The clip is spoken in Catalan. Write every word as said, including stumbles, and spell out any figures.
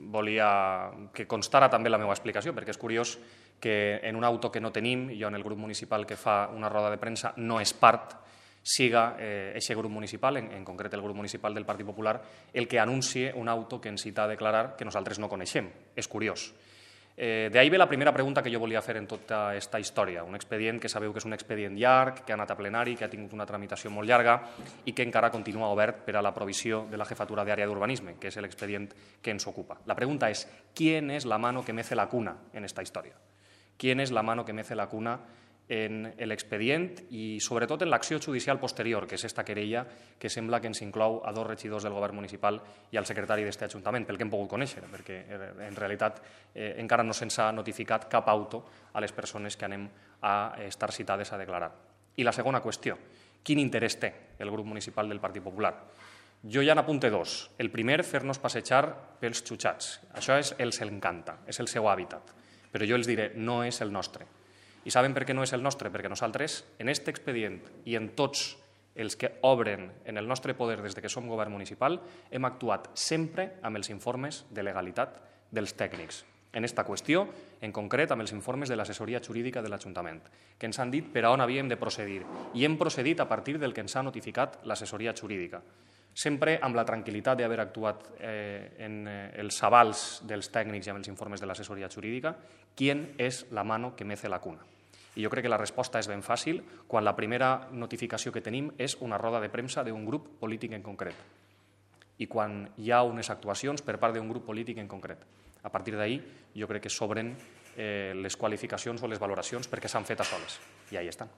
volia que constara també la meva explicació, perquè és curiós que en un auto que no tenim, jo en el grup municipal que fa una roda de premsa no és part, siga aquest grup municipal, en, en concret el grup municipal del Partit Popular, el que anuncie un auto que ens cita a declarar que nosaltres no coneixem. És curiós. Eh, D'ahir ve la primera pregunta que jo volia fer en tota aquesta història. Un expedient que sabeu que és un expedient llarg, que ha anat a plenari, que ha tingut una tramitació molt llarga i que encara continua obert per a la provisió de la jefatura d'àrea d'urbanisme, que és l'expedient que ens ocupa. La pregunta és, ¿quién es la mano que mece la cuna en esta historia? ¿Quién es la mano que mece la cuna en l'expedient i sobretot en l'acció judicial posterior, que és esta querella que sembla que ens inclou a dos regidors del govern municipal i al secretari d'aquest ajuntament, pel que hem pogut conèixer, perquè en realitat eh, encara no se'ns ha notificat cap auto a les persones que anem a estar citades a declarar. I la segona qüestió, quin interès té el grup municipal del Partit Popular? Jo ja n'apunte dos. El primer, fer-nos passejar pels xutxats. Això és els encanta, és el seu hàbitat. Però jo els diré, no és el nostre. I saben per què no és el nostre? Perquè nosaltres, en aquest expedient i en tots els que obren en el nostre poder des que som govern municipal, hem actuat sempre amb els informes de legalitat dels tècnics. En aquesta qüestió, en concret, amb els informes de l'assessoria jurídica de l'Ajuntament, que ens han dit per a on havíem de procedir. I hem procedit a partir del que ens ha notificat l'assessoria jurídica. Sempre amb la tranquil·litat d'haver actuat eh, en eh, els avals dels tècnics i amb els informes de l'assessoria jurídica, ¿quién és la mano que mece la cuna? I jo crec que la resposta és ben fàcil quan la primera notificació que tenim és una roda de premsa d'un grup polític en concret i quan hi ha unes actuacions per part d'un grup polític en concret. A partir d'ahir jo crec que s'obren eh, les qualificacions o les valoracions perquè s'han fet a soles i ahí estan.